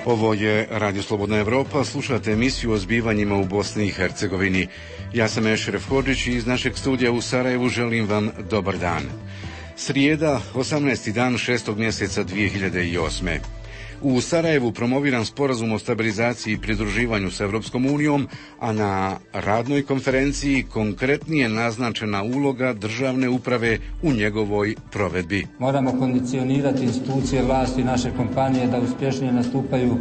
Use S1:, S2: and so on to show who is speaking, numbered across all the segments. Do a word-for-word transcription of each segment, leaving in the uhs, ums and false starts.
S1: Ovo je Radio Slobodna Evropa, slušate emisiju o zbivanjima u Bosni i Hercegovini. Ja sam Ešref Hodžić i iz našeg studija u Sarajevu želim vam dobar dan. Srijeda, osamnaesti dan šestog mjeseca dvije hiljade osme. U Sarajevu promoviran sporazum o stabilizaciji i pridruživanju s Evropskom unijom, a na radnoj konferenciji konkretnije naznačena uloga državne uprave u njegovoj provedbi.
S2: Moramo kondicionirati institucije vlasti naše kompanije da uspješnije nastupaju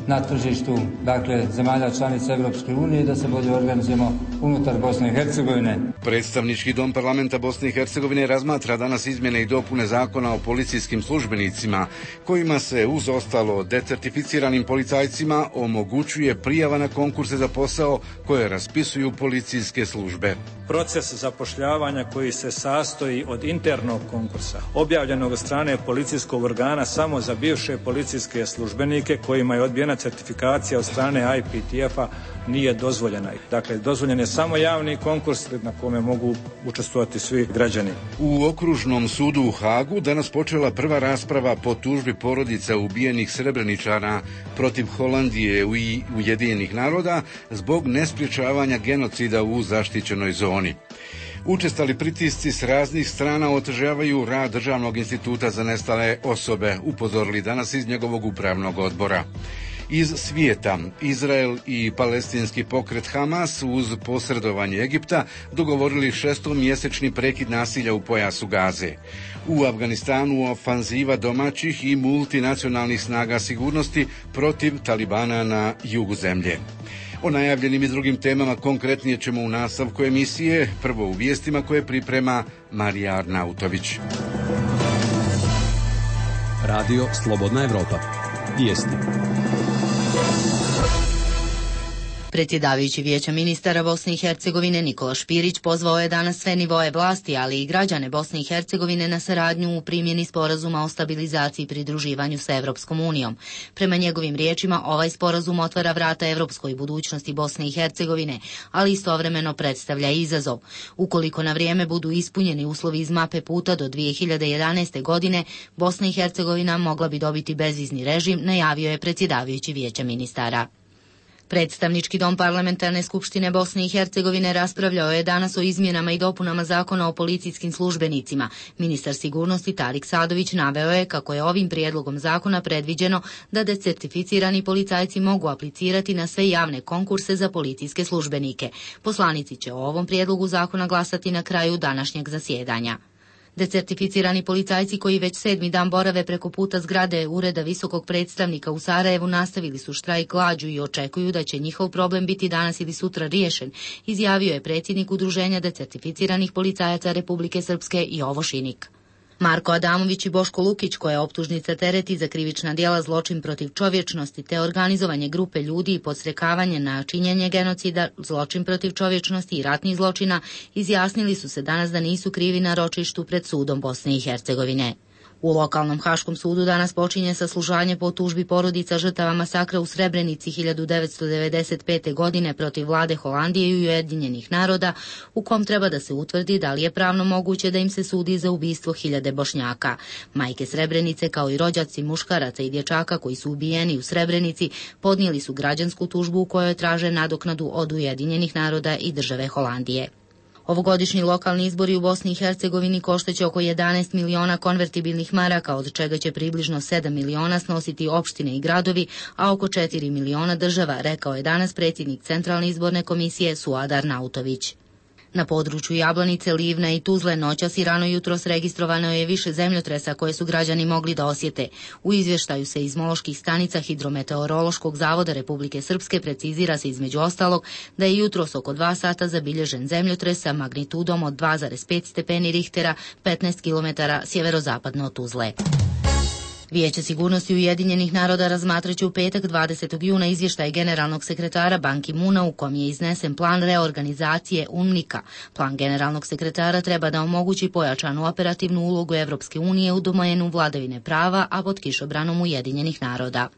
S2: na tržištu, dakle, zemalja članica Evropske unije i da se bolje organizujemo unutar Bosne i Hercegovine.
S1: Predstavnički dom parlamenta Bosne i Hercegovine razmatra danas izmjene i dopune zakona o policijskim službenicima, kojima se uz ostalo decertificiranim policajcima omogućuje prijava na konkurse za posao koje raspisuju policijske službe.
S3: Proces zapošljavanja koji se sastoji od internog konkursa, objavljenog od strane policijskog organa samo za bivše policijske službenike kojima je odbijena certifikacija od strane I P T F-a, nije dozvoljena. Dakle, dozvoljen je samo javni konkurs na kome mogu učestvovati svi građani.
S1: U Okružnom sudu u Hagu danas počela prva rasprava po tužbi porodica ubijenih Srebreničana protiv Holandije i Ujedinjenih naroda zbog nespriječavanja genocida u zaštićenoj zoni. Učestali pritisci s raznih strana otežavaju rad Državnog instituta za nestale osobe, upozorili danas iz njegovog upravnog odbora. Iz svijeta, Izrael i palestinski pokret Hamas uz posredovanje Egipta dogovorili šestomjesečni prekid nasilja u pojasu Gaze. U Afganistanu ofanziva domaćih i multinacionalnih snaga sigurnosti protiv Talibana na jugu zemlje. O najavljenim i drugim temama konkretnije ćemo u nastavku emisije, prvo u vijestima koje priprema Marija Arnautović.
S4: Radio Slobodna Evropa. Vijesti.
S5: Predsjedavajući Vijeća ministara Bosne i Hercegovine Nikola Špirić pozvao je danas sve nivoe vlasti, ali i građane Bosne i Hercegovine na saradnju u primjeni sporazuma o stabilizaciji i pridruživanju sa Evropskom unijom. Prema njegovim riječima, ovaj sporazum otvara vrata evropskoj budućnosti Bosne i Hercegovine, ali istovremeno predstavlja izazov. Ukoliko na vrijeme budu ispunjeni uslovi iz mape puta do dvije hiljade jedanaeste. godine, Bosna i Hercegovina mogla bi dobiti bezvizni režim, najavio je predsjedavajući Vijeća ministara. Predstavnički dom Parlamentarne skupštine Bosne i Hercegovine raspravljao je danas o izmjenama i dopunama zakona o policijskim službenicima. Ministar sigurnosti Tarik Sadović naveo je kako je ovim prijedlogom zakona predviđeno da decertificirani policajci mogu aplicirati na sve javne konkurse za policijske službenike. Poslanici će o ovom prijedlogu zakona glasati na kraju današnjeg zasjedanja. Decertificirani policajci koji već sedmi dan borave preko puta zgrade Ureda visokog predstavnika u Sarajevu nastavili su štrajk glađu i očekuju da će njihov problem biti danas ili sutra riješen, izjavio je predsjednik Udruženja decertificiranih policajaca Republike Srpske Jovo Šinik. Marko Adamović i Boško Lukić, koje optužnica tereti za krivična djela zločin protiv čovječnosti te organizovanje grupe ljudi i podsrekavanje na činjenje genocida, zločin protiv čovječnosti i ratnih zločina, izjasnili su se danas da nisu krivi na ročištu pred sudom Bosne i Hercegovine. U lokalnom Haškom sudu danas počinje saslušanje po tužbi porodica žrtava masakra u Srebrenici hiljadu devetsto devedeset pete. godine protiv vlade Holandije i Ujedinjenih naroda, u kom treba da se utvrdi da li je pravno moguće da im se sudi za ubistvo hiljade Bošnjaka. Majke Srebrenice, kao i rođaci muškaraca i dječaka koji su ubijeni u Srebrenici, podnijeli su građansku tužbu u kojoj traže nadoknadu od Ujedinjenih naroda i države Holandije. Ovogodišnji lokalni izbori u Bosni i Hercegovini koštaće oko jedanaest miliona konvertibilnih maraka, od čega će približno sedam miliona snositi opštine i gradovi, a oko četiri miliona država, rekao je danas predsjednik Centralne izborne komisije Suad Arnautović. Na području Jablanice, Livna i Tuzle noćas i rano jutros registrovano je više zemljotresa koje su građani mogli da osjete. U izvještaju seizmoloških stanica Hidrometeorološkog zavoda Republike Srpske precizira se između ostalog da je jutros oko dva sata zabilježen zemljotres sa magnitudom od dva zarez pet stepeni Richtera, petnaest kilometara sjeverozapadno od Tuzle. Vijeće sigurnosti Ujedinjenih naroda razmatraće u petak dvadesetog juna izvještaj generalnog sekretara Ban Ki-moona u kom je iznesen plan reorganizacije U N M I K-a. Plan generalnog sekretara treba da omogući pojačanu operativnu ulogu Evropske unije u domenu vladavine prava, a pod kišobranom Ujedinjenih naroda.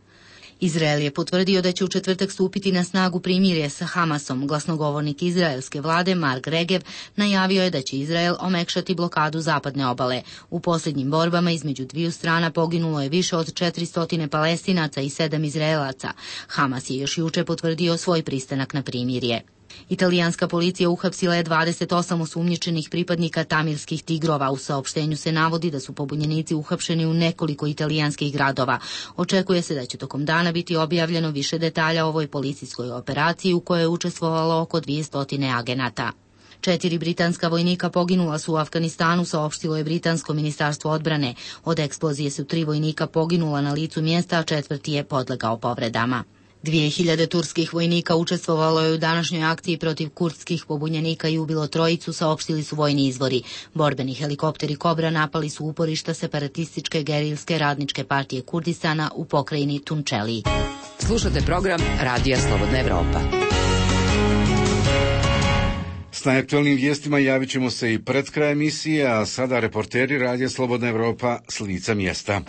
S5: Izrael je potvrdio da će u četvrtak stupiti na snagu primirje sa Hamasom. Glasnogovornik izraelske vlade Mark Regev najavio je da će Izrael omekšati blokadu zapadne obale. U posljednjim borbama između dviju strana poginulo je više od četiristo Palestinaca i sedam Izraelaca. Hamas je još juče potvrdio svoj pristanak na primirje. Italijanska policija uhapsila je dvadeset osam osumnjičenih pripadnika tamilskih tigrova. U saopštenju se navodi da su pobunjenici uhapšeni u nekoliko italijanskih gradova. Očekuje se da će tokom dana biti objavljeno više detalja o ovoj policijskoj operaciji u kojoj je učestvovalo oko dvjesto agenata. Četiri britanska vojnika poginula su u Afganistanu, saopštilo je britansko ministarstvo odbrane. Od eksplozije su tri vojnika poginula na licu mjesta, a četvrti je podlegao povredama. Dvije hiljade turskih vojnika učestvovalo je u današnjoj akciji protiv kurdskih pobunjenika i ubilo trojicu, saopštili su vojni izvori. Borbeni helikopteri Kobra napali su uporišta separatističke gerilske radničke partije Kurdistana u pokrajini Tunčeliji.
S6: Slušate program Radija Slobodna Evropa.
S1: S najaktualnim vijestima javit ćemo se i pred kraj emisije, a sada reporteri Radija Slobodna Evropa s lica mjesta.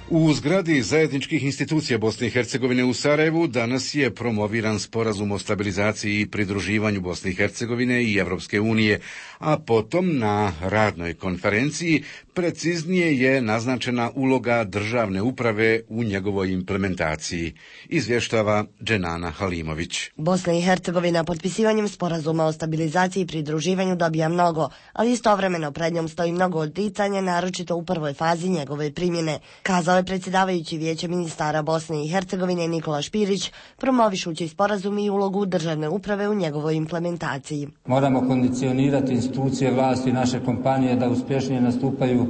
S1: U zgradi zajedničkih institucija Bosne i Hercegovine u Sarajevu danas je promoviran sporazum o stabilizaciji i pridruživanju Bosne i Hercegovine i Evropske unije, a potom na radnoj konferenciji preciznije je naznačena uloga državne uprave u njegovoj implementaciji, izvještava Dženana Halimović.
S7: Bosna i Hercegovina potpisivanjem sporazuma o stabilizaciji i pridruživanju dobija mnogo, ali istovremeno pred njom stoji mnogo odricanja, naročito u prvoj fazi njegove primjene, kazao je predsjedavajući Vijeća ministara Bosne i Hercegovine Nikola Špirić, promovišući sporazum i ulogu državne uprave u njegovoj implementaciji.
S2: Moramo kondicionirati institucije vlasti naše kompanije da uspješnije nastupaju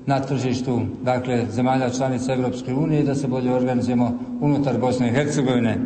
S2: na tržištu, dakle, zemalja članica Evropske unije i da se bolje organizujemo unutar Bosne i Hercegovine.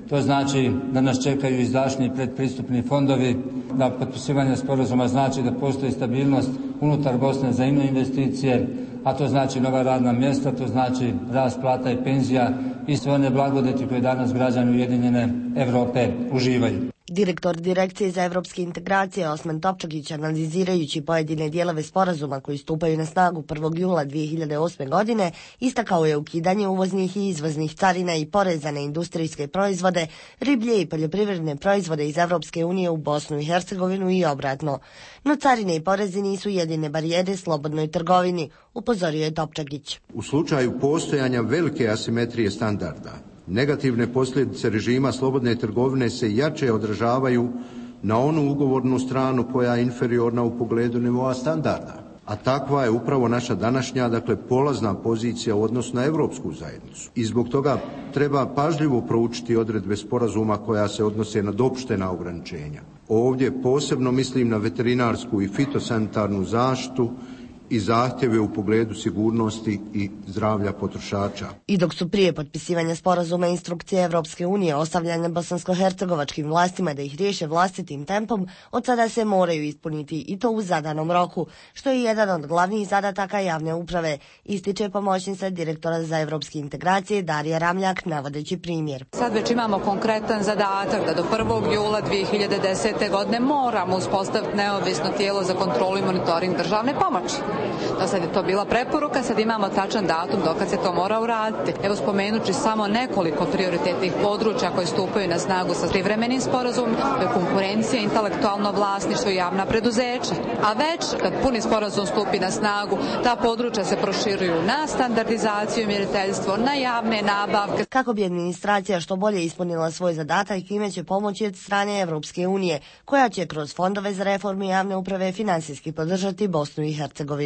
S2: To znači da nas čekaju izdašniji predpristupni fondovi, da potpisivanje sporazuma znači da postoji stabilnost unutar Bosne za ino investicije, a to znači nova radna mjesta, to znači rast plata i penzija i sve one blagodeti koje danas građani Ujedinjene Evrope uživaju.
S7: Direktor Direkcije za evropske integracije Osman Topčagić, analizirajući pojedine dijelove sporazuma koji stupaju na snagu prvog jula dvije hiljade osme. godine, istakao je ukidanje uvoznih i izvoznih carina i poreza na industrijske proizvode, riblje i poljoprivredne proizvode iz Evropske unije u Bosnu i Hercegovinu i obratno. No carine i porezi nisu jedine barijere slobodnoj trgovini, upozorio je Topčagić.
S8: U slučaju postojanja velike asimetrije standarda, negativne posljedice režima slobodne trgovine se jače odražavaju na onu ugovornu stranu koja je inferiorna u pogledu nivoa standarda. A takva je upravo naša današnja, dakle, polazna pozicija u odnosu na Europsku zajednicu. I zbog toga treba pažljivo proučiti odredbe sporazuma koja se odnose na dopuštena ograničenja. Ovdje posebno mislim na veterinarsku i fitosanitarnu zaštitu i zahtjeve u pogledu sigurnosti i zdravlja potrošača.
S7: I dok su prije potpisivanja sporazuma instrukcije Evropske unije ostavljene bosansko-hercegovačkim vlastima da ih riješe vlastitim tempom, od sada se moraju ispuniti i to u zadanom roku, što je jedan od glavnih zadataka javne uprave, ističe pomoćnica direktora za evropske integracije Darija Ramljak, navodeći primjer.
S9: Sad već imamo konkretan zadatak da do prvog jula dvije hiljade desete. godine moramo uspostaviti neovisno tijelo za kontrolu i monitoring državne pomoći. Do sad je to bila preporuka, sad imamo tačan datum dokad se to mora uraditi. Evo, spomenući samo nekoliko prioritetnih područja koje stupaju na snagu sa privremenim sporazumom, konkurencija, intelektualno vlasništvo i javna preduzeća. A već kad puni sporazum stupi na snagu, ta područja se proširuju na standardizaciju i mjeriteljstvo, na javne nabavke.
S7: Kako bi administracija što bolje ispunila svoj zadatak i kime će pomoći od strane Evropske unije, koja će kroz fondove za reformu javne uprave finansijski podržati Bosnu i Hercegovinu.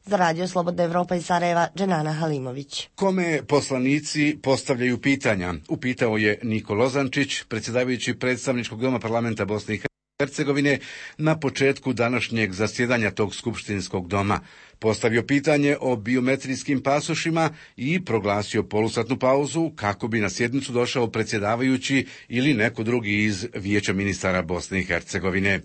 S7: Za Radio Slobodna Evropa iz Sarajeva, Dženana Halimović.
S1: Kome poslanici postavljaju pitanja? Upitao je Niko Lozančić, predsjedavajući predstavničkog doma parlamenta Bosne i Hercegovine, na početku današnjeg zasjedanja tog skupštinskog doma. Postavio pitanje o biometrijskim pasošima i proglasio polusatnu pauzu kako bi na sjednicu došao predsjedavajući ili neko drugi iz Vijeća ministara Bosne i Hercegovine.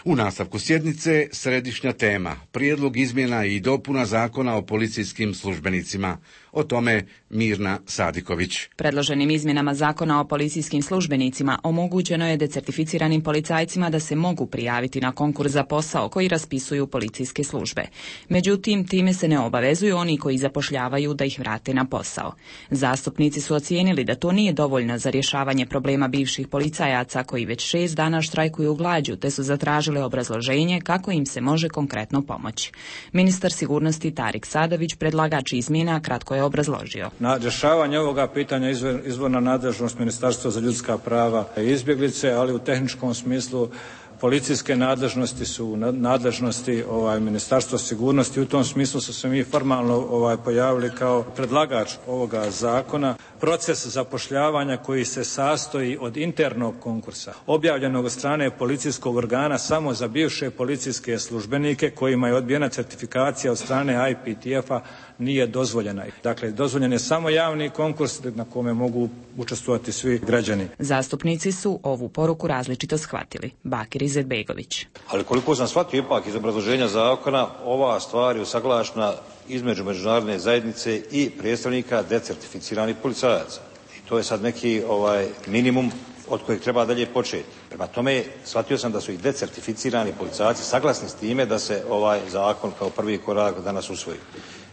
S1: U nastavku sjednice središnja tema, prijedlog izmjena i dopuna zakona o policijskim službenicima. O tome Mirna Sadiković.
S10: Predloženim izmjenama zakona o policijskim službenicima omogućeno je decertificiranim policajcima da se mogu prijaviti na konkurs za posao koji raspisuju policijske službe. Međutim, Međutim, time se ne obavezuju oni koji zapošljavaju da ih vrate na posao. Zastupnici su ocijenili da to nije dovoljno za rješavanje problema bivših policajaca koji već šest dana štrajkuju glađu, te su zatražili obrazloženje kako im se može konkretno pomoći. Ministar sigurnosti Tarik Sadović, predlagač izmjena, kratko je obrazložio.
S3: Na rješavanje ovoga pitanja izvor, izvorna nadležnost Ministarstva za ljudska prava i izbjeglice, ali u tehničkom smislu policijske nadležnosti su nadležnosti ovaj, Ministarstva sigurnosti. U tom smislu su se mi formalno ovaj, pojavili kao predlagač ovoga zakona. Proces zapošljavanja koji se sastoji od internog konkursa, objavljenog od strane policijskog organa samo za bivše policijske službenike kojima je odbijena certifikacija od strane I P T F-a, nije dozvoljena. Dakle, dozvoljen je samo javni konkurs na kome mogu učestvovati svi građani.
S10: Zastupnici su ovu poruku različito shvatili. Bakir Izetbegović.
S11: Ali koliko sam shvatio ipak iz obrazloženja zakona, ova stvar je usaglašena između međunarodne zajednice i predstavnika decertificiranih policajaca. I to je sad neki ovaj minimum od kojeg treba dalje početi. Prema tome, shvatio sam da su i decertificirani policajci saglasni s time da se ovaj zakon kao prvi korak danas usvoji.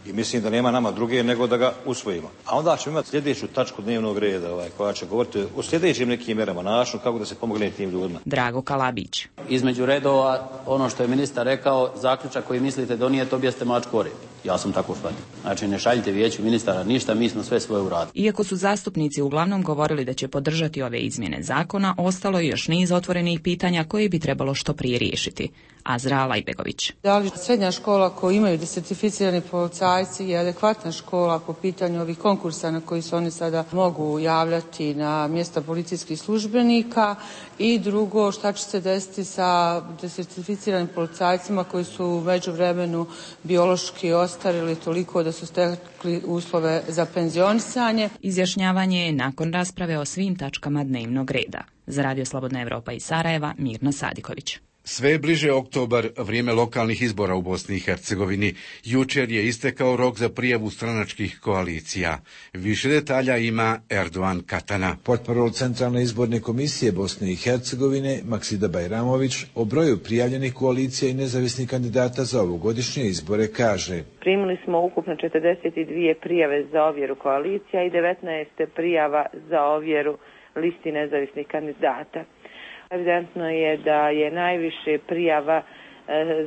S11: I mislim da nema nama druge nego da ga usvojimo. A onda ćemo imati sljedeću tačku dnevnog reda ovaj, koja će govoriti o sljedećim nekim mjerama, načinu kako da se pomogne tim ljudima.
S10: Drago Kalabić.
S12: Između redova, ono što je ministar rekao, zaključak koji mislite donijeti, objeste mačku o rep. Ja sam tako shvatio. Znači, ne šaljite vijeću ministara ništa, mi smo sve svoje uradili.
S10: Iako su zastupnici uglavnom govorili da će podržati ove izmjene zakona, ostalo je još niz otvorenih pitanja koje bi trebalo što prije riješiti. Azra Lajbegović.
S13: Da li srednja škola koju imaju desertificirani policajci je adekvatna škola po pitanju ovih konkursa na koji se oni sada mogu javljati na mjesta policijskih službenika, i drugo, šta će se desiti sa desertificiranim policajcima koji su u međuvremenu biološki ostarili toliko da su stekli uslove za penzionisanje.
S10: Izjašnjavanje je nakon rasprave o svim tačkama dnevnog reda. Za Radio Slobodna Evropa iz Sarajeva, Mirna Sadiković.
S1: Sve je bliže oktobar, vrijeme lokalnih izbora u Bosni i Hercegovini. Jučer je istekao rok za prijavu stranačkih koalicija. Više detalja ima Erdogan Katana.
S14: Portparol Centralne izborne komisije Bosne i Hercegovine Maksida Bajramović o broju prijavljenih koalicija i nezavisnih kandidata za ovogodišnje izbore kaže:
S15: Primili smo ukupno četrdeset dvije prijave za ovjeru koalicija i devetnaest prijava za ovjeru listi nezavisnih kandidata. Evidentno je da je najviše prijava e,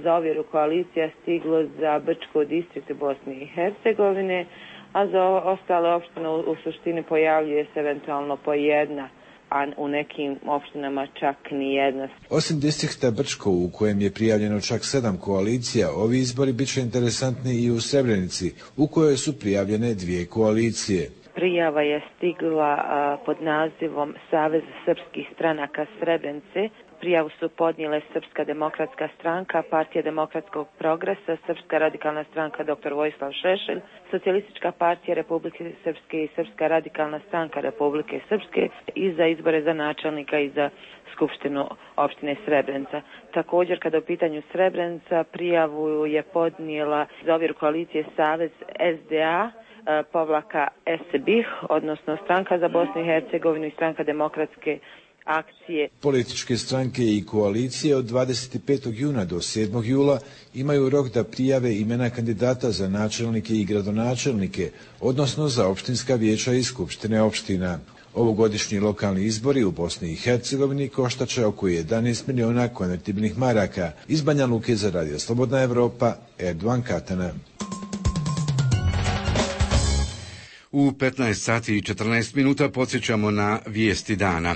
S15: za ovjeru koalicija stiglo za Brčko distrikt Bosne i Hercegovine, a za ostale opštine u, u suštini pojavljuje se eventualno po jedna, a u nekim opštinama čak ni jedna.
S14: Osim distrikta Brčko, u kojem je prijavljeno čak sedam koalicija, ovi izbori bit će interesantni i u Srebrenici, u kojoj su prijavljene dvije koalicije.
S15: Prijava je stigla a, pod nazivom Savez srpskih stranaka Srebrenice. Prijavu su podnijele Srpska demokratska stranka, Partija demokratskog progresa, Srpska radikalna stranka dr Vojislav Šešelj, Socijalistička partija Republike Srpske i Srpska radikalna stranka Republike Srpske i za izbore za načelnika i za Skupštinu opštine Srebrenica. Također, kada u pitanju Srebrenica, prijavu je podnijela za ovjeru koalicije Savez S D A, povlaka S B I H, odnosno Stranka za Bosnu i Hercegovinu i Stranka demokratske akcije.
S14: Političke stranke i koalicije od dvadeset petog juna do sedmog jula imaju rok da prijave imena kandidata za načelnike i gradonačelnike, odnosno za opštinska vijeća i skupštine opština. Ovogodišnji lokalni izbori u Bosni i Hercegovini koštat će oko jedanaest miliona konvertibilnih maraka. Iz Banja Luke za Radio Slobodna Evropa, Erdogan Katana.
S1: U petnaest sati i četrnaest minuta podsjećamo na vijesti dana.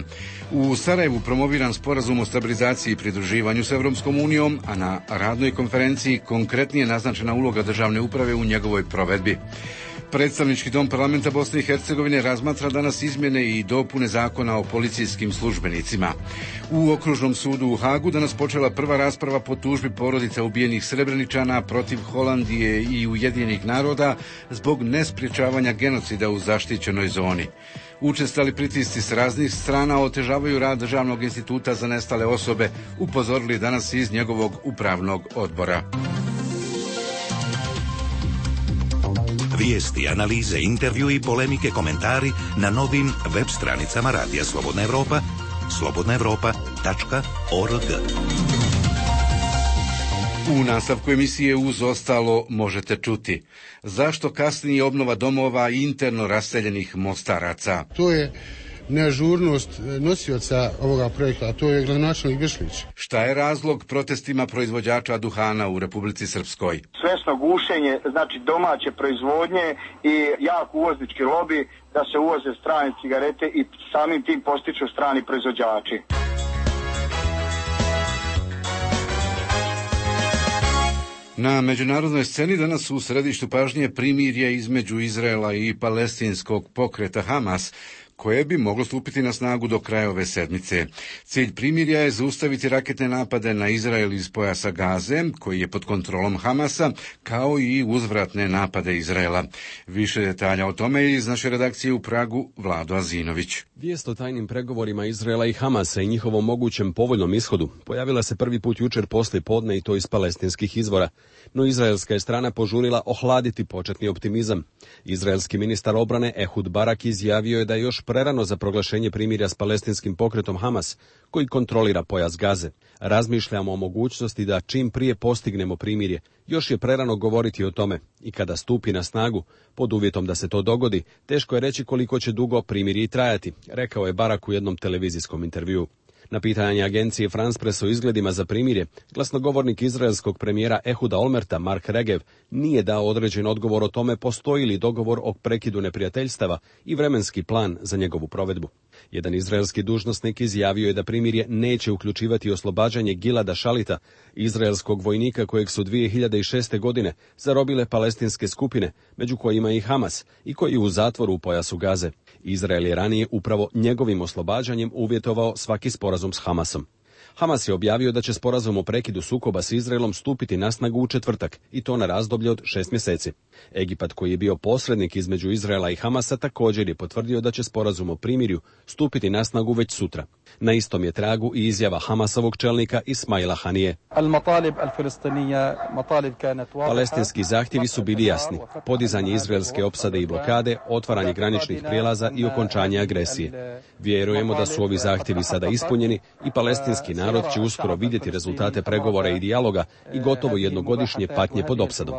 S1: U Sarajevu promoviran sporazum o stabilizaciji i pridruživanju s Evropskom unijom, a na radnoj konferenciji konkretnije naznačena uloga državne uprave u njegovoj provedbi. Predstavnički dom parlamenta Bosne i Hercegovine razmatra danas izmjene i dopune zakona o policijskim službenicima. U okružnom sudu u Hagu danas počela prva rasprava po tužbi porodica ubijenih Srebreničana protiv Holandije i Ujedinjenih naroda zbog nespriječavanja genocida u zaštićenoj zoni. Učestali pritisci s raznih strana otežavaju rad Državnog instituta za nestale osobe, upozorili danas iz njegovog upravnog odbora.
S16: Vijesti, analize, intervju i polemike, komentari na novim web stranicama Radija Slobodna Evropa, slobodna evropa tačka org.
S1: U nastavku emisije uz ostalo možete čuti zašto kasnije obnova domova interno raseljenih Mostaraca.
S17: To je neažurnost nosioca ovoga projekta, a to je gradonačelnik Gršlić.
S1: Šta je razlog protestima proizvođača duhana u Republici Srpskoj?
S18: Svesno gušenje, znači domaće proizvodnje i jak uvoznički lobi da se uvoze strane cigarete i samim tim postiču strani proizvođači.
S1: Na međunarodnoj sceni danas u središtu pažnje primirje između Izraela i palestinskog pokreta Hamas, koje bi moglo stupiti na snagu do kraja ove sedmice. Cilj primirja je zaustaviti raketne napade na Izrael iz pojasa Gaze, koji je pod kontrolom Hamasa, kao i uzvratne napade Izraela. Više detalja o tome iz naše redakcije u Pragu, Vlado Azinović.
S4: Vijest o tajnim pregovorima Izraela i Hamasa i njihovom mogućem povoljnom ishodu pojavila se prvi put jučer poslije podne i to iz palestinskih izvora. No izraelska je strana požurila ohladiti početni optimizam. Izraelski ministar obrane Ehud Barak izjavio je da je još prerano za proglašenje primirja s palestinskim pokretom Hamas, koji kontrolira pojas Gaze. Razmišljamo o mogućnosti da čim prije postignemo primirje. Još je prerano govoriti o tome i kada stupi na snagu, pod uvjetom da se to dogodi, teško je reći koliko će dugo primirje trajati, rekao je Barak u jednom televizijskom intervjuu. Na pitanje agencije France Press o izgledima za primirje, glasnogovornik izraelskog premijera Ehuda Olmerta, Mark Regev, nije dao određen odgovor o tome postoji li dogovor o prekidu neprijateljstava i vremenski plan za njegovu provedbu. Jedan izraelski dužnosnik izjavio je da primirje neće uključivati oslobađanje Gilada Šalita, izraelskog vojnika kojeg su dvije hiljade šeste. godine zarobile palestinske skupine, među kojima i Hamas, i koji je u zatvoru u pojasu Gaze. Izrael je ranije upravo njegovim oslobađanjem uvjetovao svaki sporazum s Hamasom. Hamas je objavio da će sporazum o prekidu sukoba s Izraelom stupiti na snagu u četvrtak, i to na razdoblje od šest mjeseci. Egipat, koji je bio posrednik između Izraela i Hamasa, također je potvrdio da će sporazum o primirju stupiti na snagu već sutra. Na istom je tragu i izjava Hamasovog čelnika Ismaila Hanije. Palestinski zahtjevi su bili jasni: podizanje izraelske opsade i blokade, otvaranje graničnih prijelaza i okončanje agresije. Vjerujemo da su ovi zahtjevi sada ispunjeni i palestinski narod će uskoro vidjeti rezultate pregovora i dijaloga i gotovo jednogodišnje patnje pod opsadom.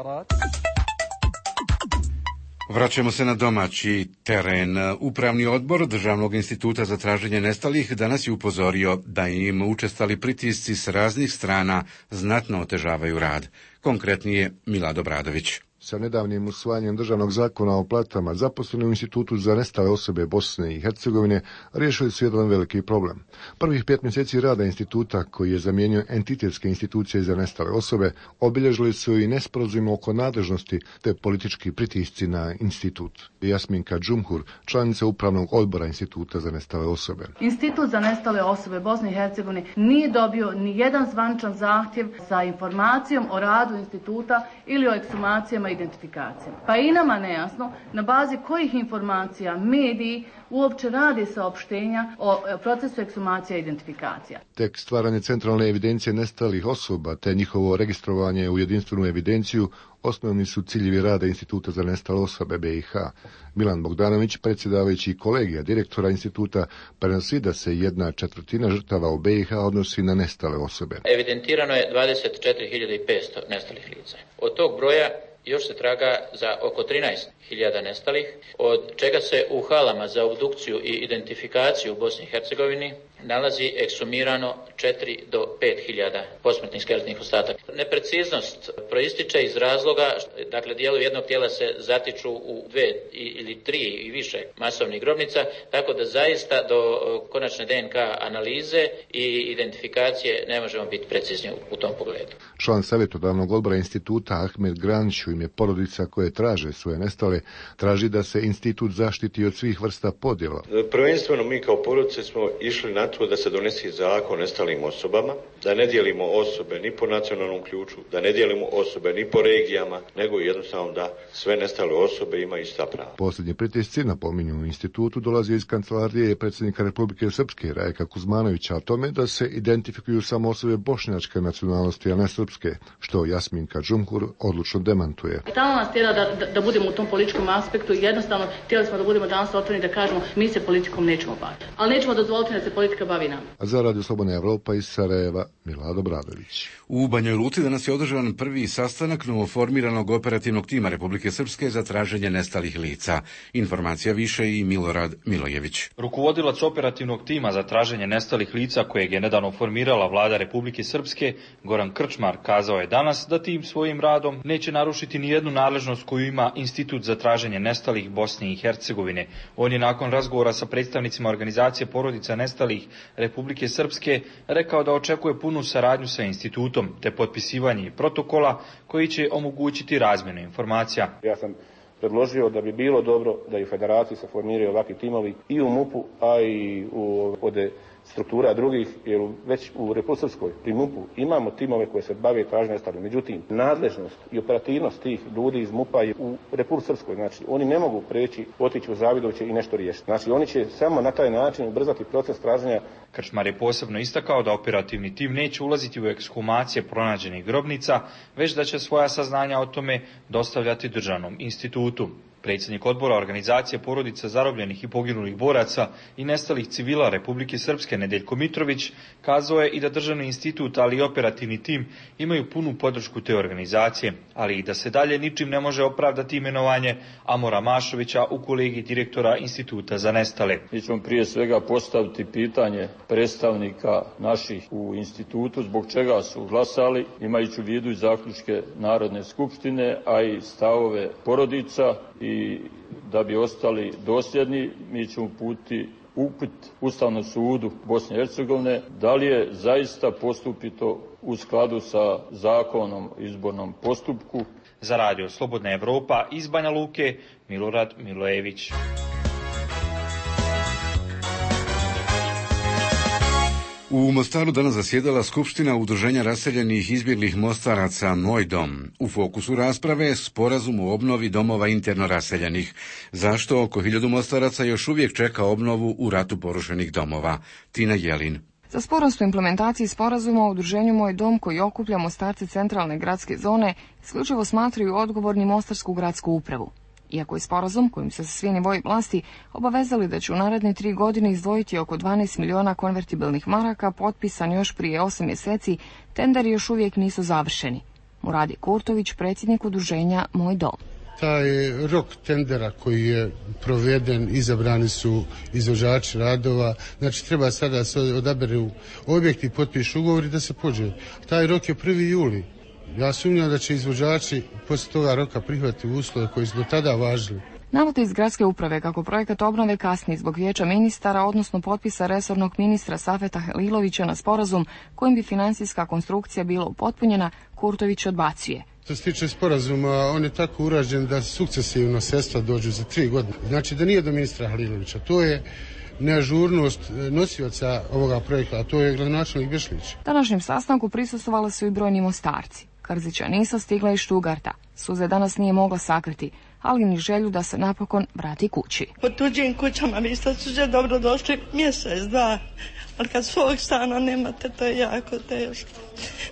S1: Vraćamo se na domaći teren. Upravni odbor Državnog instituta za traženje nestalih danas je upozorio da im učestali pritisci s raznih strana znatno otežavaju rad. Konkretnije Milado Bradović.
S19: Sa nedavnim usvajanjem državnog zakona o platama, zaposleni u Institutu za nestale osobe Bosne i Hercegovine riješili su jedan veliki problem. Prvih pet mjeseci rada instituta, koji je zamijenio entitetske institucije za nestale osobe, obilježili su i nesporazum oko nadležnosti te politički pritisci na institut. Jasminka Džumhur, članica upravnog odbora Instituta za nestale osobe.
S20: Institut za nestale osobe Bosne i Hercegovine nije dobio ni jedan zvaničan zahtjev za informacijom o radu instituta ili o ekshumacijama identifikacijama. Pa i nama nejasno na bazi kojih informacija mediji uopće rade saopštenja o procesu ekshumacija i identifikacija.
S19: Tek stvaranje centralne evidencije nestalih osoba te njihovo registrovanje u jedinstvenu evidenciju osnovni su ciljevi rada Instituta za nestale osobe B i H. Milan Bogdanović, predsjedavajući kolegija direktora instituta, prenosi da se jedna četvrtina žrtava u B i H odnosi na nestale osobe.
S21: Evidentirano je dvadeset četiri hiljade petsto nestalih lica. Od tog broja još se traga za oko trinaest hiljada nestalih, od čega se u halama za obdukciju i identifikaciju u Bosni i Hercegovini nalazi eksumirano četiri do pet hiljada posmrtnih skeletnih ostataka. Nepreciznost proističe iz razloga, dakle dijelovi jednog tijela se zatiču u dve ili tri i više masovnih grobnica, tako da zaista do konačne D N K analize i identifikacije ne možemo biti precizni u tom pogledu.
S19: Član savjetodavnog odbora instituta Ahmed Granić u ime porodica koje traže svoje nestale traži da se institut zaštiti od svih vrsta podjela.
S22: Prvenstveno mi kao porodice smo išli na to da se donesi zakon o nestalim osobama, da ne dijelimo osobe ni po nacionalnom ključu, da ne dijelimo osobe ni po regijama, nego jednostavno da sve nestale osobe imaju ista prava.
S19: Posljednji pritisci, napominju u institutu, dolazi iz kancelarije predsjednika Republike Srpske Rajka Kuzmanovića o tome da se identifikuju samo osobe bošnjačke nacionalnosti, a ne srpske, što Jasminka Džumhur odlučno demantuje. putuje.
S20: Tamo nas tjera da, da, da budemo u tom političkom aspektu i jednostavno htjeli smo da budemo danas otvoreni da kažemo mi se politikom nećemo baviti. Ali nećemo dozvoliti da se politika bavi nama.
S19: A za Radio Slobodna Evropa iz Sarajeva, Milado Bradović.
S1: U Banjoj Luci danas je održan prvi sastanak novoformiranog operativnog tima Republike Srpske za traženje nestalih lica. Informacija više i Milorad Milojević.
S5: Rukovodilac operativnog tima za traženje nestalih lica kojeg je nedavno formirala vlada Republike Srpske, Goran Krčmar, kazao je danas da tim svojim radom neće narušiti ni jednu nadležnost koju ima Institut za traženje nestalih Bosne i Hercegovine. On je nakon razgovora sa predstavnicima organizacije porodica nestalih Republike Srpske rekao da očekuje punu saradnju sa institutom te potpisivanje protokola koji će omogućiti razmjenu informacija.
S6: Ja sam predložio da bi bilo dobro da i u federaciji se formiraju ovakvi timovi i u MUP-u, a i u ode struktura drugih, jer već u Republici Srpskoj pri MUP-u imamo timove koje se bave traženjem nestalih. Međutim, nadležnost i operativnost tih ljudi iz MUP-a je u Republici Srpskoj. Znači, oni ne mogu preći, otići u Zavidoviće i nešto riješiti. Znači, oni će samo na taj način ubrzati proces traženja.
S5: Krčmar je posebno istakao da operativni tim neće ulaziti u ekshumacije pronađenih grobnica, već da će svoja saznanja o tome dostavljati državnom institutu. Predsjednik odbora organizacije porodica zarobljenih i poginulih boraca i nestalih civila Republike Srpske Nedeljko Mitrović kazao je i da državni institut, ali i operativni tim imaju punu podršku te organizacije, ali i da se dalje ničim ne može opravdati imenovanje Amora Mašovića u kolegiji direktora Instituta za nestale.
S23: Mi ćemo prije svega postaviti pitanje predstavnika naših u institutu zbog čega su glasali, imajući u vidu i zaključke Narodne skupštine, a i stavove porodica. I da bi ostali dosljedni, mi ćemo uputiti upit Ustavnom sudu Bosne i Hercegovine da li je zaista postupito u skladu sa zakonom o izbornom postupku.
S5: Za Radio Slobodna Evropa iz Banja Luke, Milorad Milojević.
S1: U Mostaru danas zasjedala Skupština Udruženja raseljenih izbjeglih Mostaraca Moj dom. U fokusu rasprave sporazum o obnovi domova interno raseljenih. Zašto oko hiljadu Mostaraca još uvijek čeka obnovu u ratu porušenih domova? Tina Jelin.
S24: Za sporost u implementaciji sporazuma u udruženju Moj dom, koji okuplja Mostarce centralne gradske zone, isključivo smatraju odgovorni Mostarsku gradsku upravu. Iako je sporazum kojim se svi nivoji vlasti obavezali da će u naredne tri godine izdvojiti oko dvanaest miliona konvertibilnih maraka, potpisan još prije osam mjeseci, tenderi još uvijek nisu završeni. Muradi Kurtović, predsjednik udruženja Moj dom.
S17: Taj rok tendera koji je proveden, izabrani su izvođači radova, znači treba sada se odaberu objekti, potpišu ugovori da se pođe. Taj rok je prvi juli. Ja sumnjam da će izvođači poslije toga roka prihvatiti uslove koji su do tada važili.
S24: Navode iz gradske uprave kako projekat obnove kasni zbog vijeća ministara, odnosno potpisa resornog ministra Safeta Halilovića na sporazum kojim bi financijska konstrukcija bila upotpunjena, Kurtović odbacuje.
S17: Što se tiče sporazuma, on je tako urađen da sukcesivno sredstva dođu za tri godine. Znači da nije do ministra Halilovića, to je neažurnost nosioca ovoga projekta, a to je gradonačelnik Bešlić.
S24: Današnjem sastanku prisustvovali su i brojni Mostarci. Krzića nisu stigla iz Štugarta. Suze danas nije mogla sakriti, ali ni želju da se napokon vrati kući.
S25: Po tuđim kućama vi ste suđe dobro došli mjesec, dva, ali kad svog stana nemate, to je jako teško.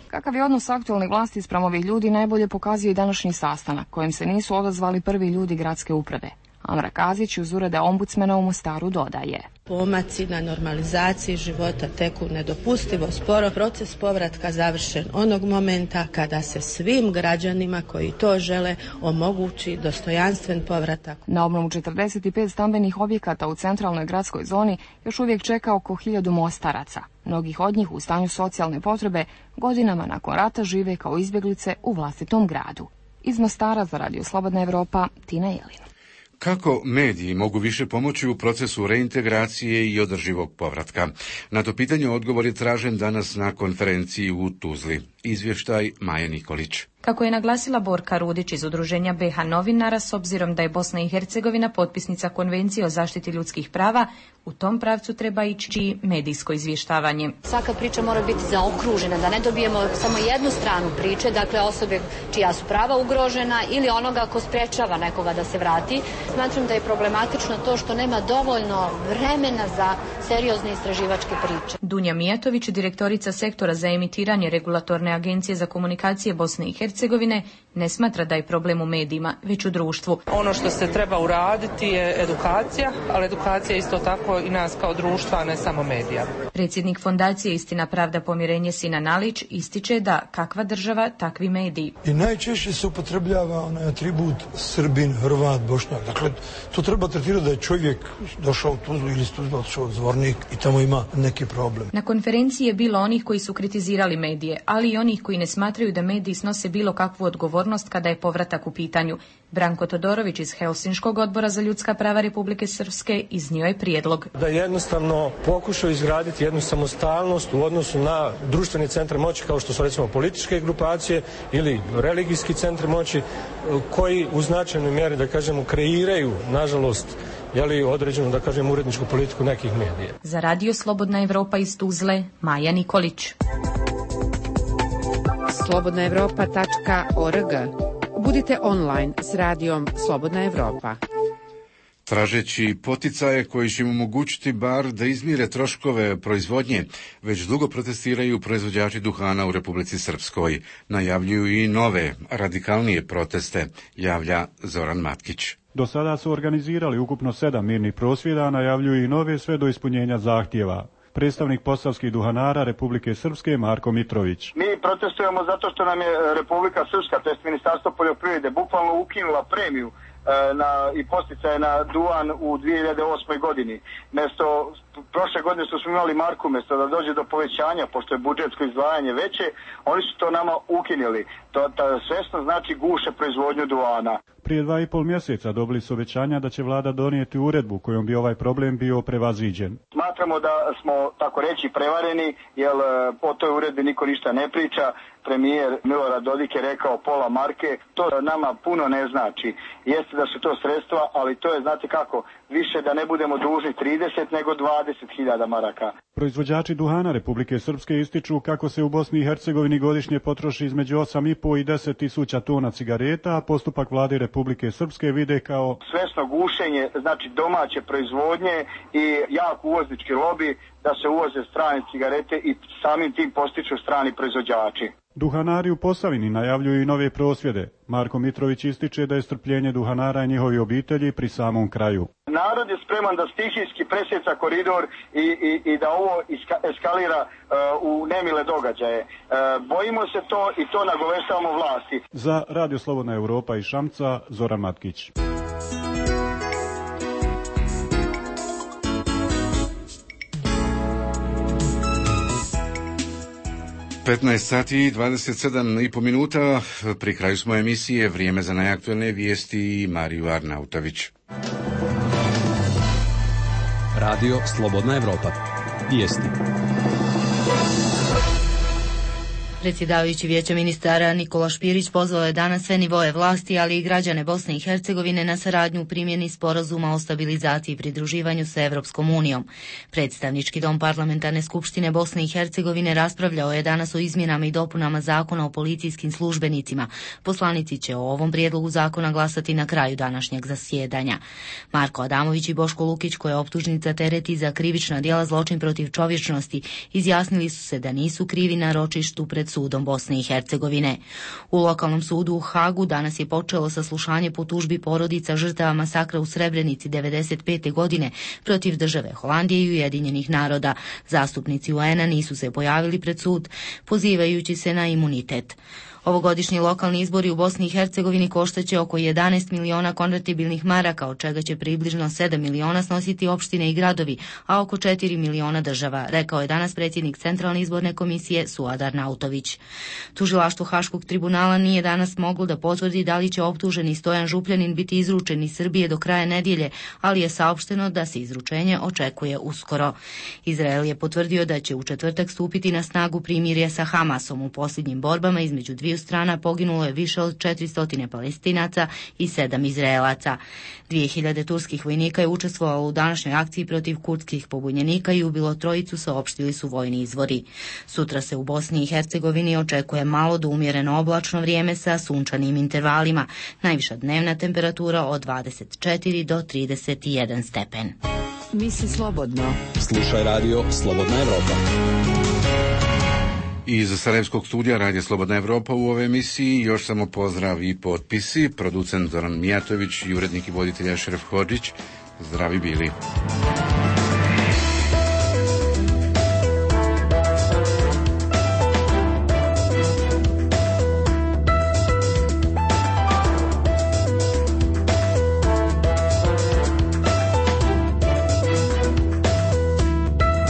S24: Kakav je odnos aktualnih vlasti spram ovih ljudi najbolje pokazuje i današnji sastanak, kojim se nisu odazvali prvi ljudi gradske uprave. Amra Kazić uz ureda ombudsmena u Mostaru dodaje.
S26: Pomaci na normalizaciji života teku nedopustivo sporo. Proces povratka završen onog momenta kada se svim građanima koji to žele omogući dostojanstven povratak.
S24: Na obnovu četrdeset pet stambenih objekata u centralnoj gradskoj zoni još uvijek čeka oko hiljadu Mostaraca. Mnogih od njih u stanju socijalne potrebe godinama nakon rata žive kao izbjeglice u vlastitom gradu. Iz Mostara za Radio Slobodna Evropa, Tina Jelin.
S1: Kako mediji mogu više pomoći u procesu reintegracije i održivog povratka? Na to pitanje odgovor je tražen danas na konferenciji u Tuzli. Izvještaj Maje Nikolić.
S27: Kako je naglasila Borka Rudić iz udruženja B H novinara, s obzirom da je Bosna i Hercegovina potpisnica Konvencije o zaštiti ljudskih prava, u tom pravcu treba ići medijsko izvještavanje.
S28: Svaka priča mora biti zaokružena, da ne dobijemo samo jednu stranu priče, dakle osobe čija su prava ugrožena ili onoga ko sprečava nekoga da se vrati. Smatram da je problematično to što nema dovoljno vremena za seriozne istraživačke priče.
S27: Dunja Mijatović, direktorica sektora za emitiranje Regulatorne agencije za komunikacije Bosne i Hercegovine, ne smatra da je problem u medijima, već u društvu.
S2: Ono što se treba uraditi je edukacija, ali edukacija isto tako i nas kao društva, a ne samo medija.
S27: Predsjednik Fondacije Istina, pravda, pomirenje Sinan Alić ističe da kakva država, takvi mediji.
S3: I najčešće se upotrebljava onaj atribut Srbin, Hrvat, Bošnjak. Dakle, to treba tretirati da je čovjek došao u Tuzlu ili iz Tuzla otišao u Zvornik i tamo ima neki problem.
S27: Na konferenciji je bilo onih koji su kritizirali medije, ali i onih koji ne smatraju da mediji snose bilo kakvu odgovornost kada je povratak u pitanju. Branko Todorović iz Helsinškog odbora za ljudska prava Republike Srpske iznio je prijedlog.
S7: Da jednostavno pokušaju izgraditi jednu samostalnost u odnosu na društveni centar moći kao što su recimo političke grupacije ili religijski centri moći koji u značajnoj mjeri, da kažemo, kreiraju, nažalost, jeli određenu, da kažem, uredničku politiku nekih medija.
S27: Za Radio Slobodna Evropa iz Tuzle, Maja Nikolić.
S8: slobodna evropa tačka org. Budite online s radijom Slobodna Evropa.
S1: Tražeći poticaje koji će im omogućiti bar da izmire troškove proizvodnje, već dugo protestiraju proizvođači duhana u Republici Srpskoj. Najavljuju i nove, radikalnije proteste, javlja Zoran Matkić.
S9: Do sada su organizirali ukupno sedam mirnih prosvjeda, najavljuju i nove sve do ispunjenja zahtjeva. Predstavnik posavskih duhanara Republike Srpske Marko Mitrović.
S18: Mi protestujemo zato što nam je Republika Srpska, to jest Ministarstvo poljoprivrede, bukvalno ukinula premiju na, i posticaje na duhan u dvije hiljade osmoj godini. Mesto, prošle godine što smo imali marku, mesto da dođe do povećanja, pošto je budžetsko izdvajanje veće, oni su to nama ukinuli. To ta, svesno znači guše proizvodnju duhana.
S9: Prije dva i pol mjeseca dobili su obećanja da će vlada donijeti uredbu kojom bi ovaj problem bio prevaziđen.
S18: Smatramo da smo, tako reći, prevareni, jer o toj uredbi niko ništa ne priča. Premijer Milorad Dodik je rekao pola marke, to nama puno ne znači. Jeste da su to sredstva, ali to je, znate kako, više da ne budemo dužni trideset nego dvadeset hiljada maraka.
S9: Proizvođači duhana Republike Srpske ističu kako se u Bosni i Hercegovini godišnje potroši između osam i po i deset tisuća tona cigareta, a postupak vlade Republike Srpske vide kao
S18: svesno gušenje, znači domaće proizvodnje i jak uvoznički lobi da se uvoze strane cigarete i samim tim postiču strani proizvođači.
S9: Duhanari u Posavini najavljuju i nove prosvjede. Marko Mitrović ističe da je strpljenje duhanara i njihovi obitelji pri samom kraju.
S18: Narod je spreman da stihijski presjeca koridor i, i, i da ovo iska, eskalira uh, u nemile događaje. Uh, bojimo se to i to nagoveštavamo vlasti.
S9: Za Radio Slobodna Evropa iz Šamca, Zoran Matkić.
S1: petnaest sati i dvadeset sedam i po minuta, pri kraju smo emisije, vrijeme za najaktualne vijesti i Mariju Arnautović.
S4: Radio Slobodna Evropa. Vijesti.
S11: Predsjedavajući Vijeća ministara Nikola Špirić pozvao je danas sve nivoe vlasti, ali i građane Bosne i Hercegovine na saradnju u primjeni sporazuma o stabilizaciji i pridruživanju sa Evropskom unijom. Predstavnički dom Parlamentarne skupštine Bosne i Hercegovine raspravljao je danas o izmjenama i dopunama zakona o policijskim službenicima. Poslanici će o ovom prijedlogu zakona glasati na kraju današnjeg zasjedanja. Marko Adamović i Boško Lukić, koje optužnica tereti za krivična djela zločin protiv čovječnosti, izjasnili su se da nisu krivi na ročištu pred sudom Bosne i Hercegovine. U lokalnom sudu u Hagu danas je počelo saslušanje po tužbi porodica žrtava masakra u Srebrenici devedeset pete godine protiv države Holandije i Ujedinjenih naroda. Zastupnici U N-a nisu se pojavili pred sud, pozivajući se na imunitet. Ovogodišnji lokalni izbori u Bosni i Hercegovini koštaće oko jedanaest miliona konvertibilnih maraka, od čega će približno sedam miliona snositi opštine i gradovi, a oko četiri miliona država, rekao je danas predsjednik Centralne izborne komisije Suad Arnautović. Tužilaštvo Haškog tribunala nije danas moglo da potvrdi da li će optuženi Stojan Župljanin biti izručen iz Srbije do kraja nedjelje, ali je saopšteno da se izručenje očekuje uskoro. Izrael je potvrdio da će u četvrtak stupiti na snagu primirje sa Hamasom. U posljednjim borbama između dviju strana poginulo je više od četiristo Palestinaca i sedam Izraelaca. dvije hiljade turskih vojnika je učestvovalo u današnjoj akciji protiv kurdskih pobunjenika i ubilo trojicu, saopštili su vojni izvori. Sutra se u Bosni i Hercegovini očekuje malo do umjereno oblačno vrijeme sa sunčanim intervalima. Najviša dnevna temperatura od dvadeset četiri do trideset jedan stepen.
S8: Misli slobodno.
S4: Slušaj radio Slobodna Evropa.
S1: Iz Sarajevskog studija Radija Slobodna Evropa u ovoj emisiji još samo pozdrav i potpisi. Producent Zoran Mijatović i urednik i voditelj Ašref Hodžić. Zdravi bili.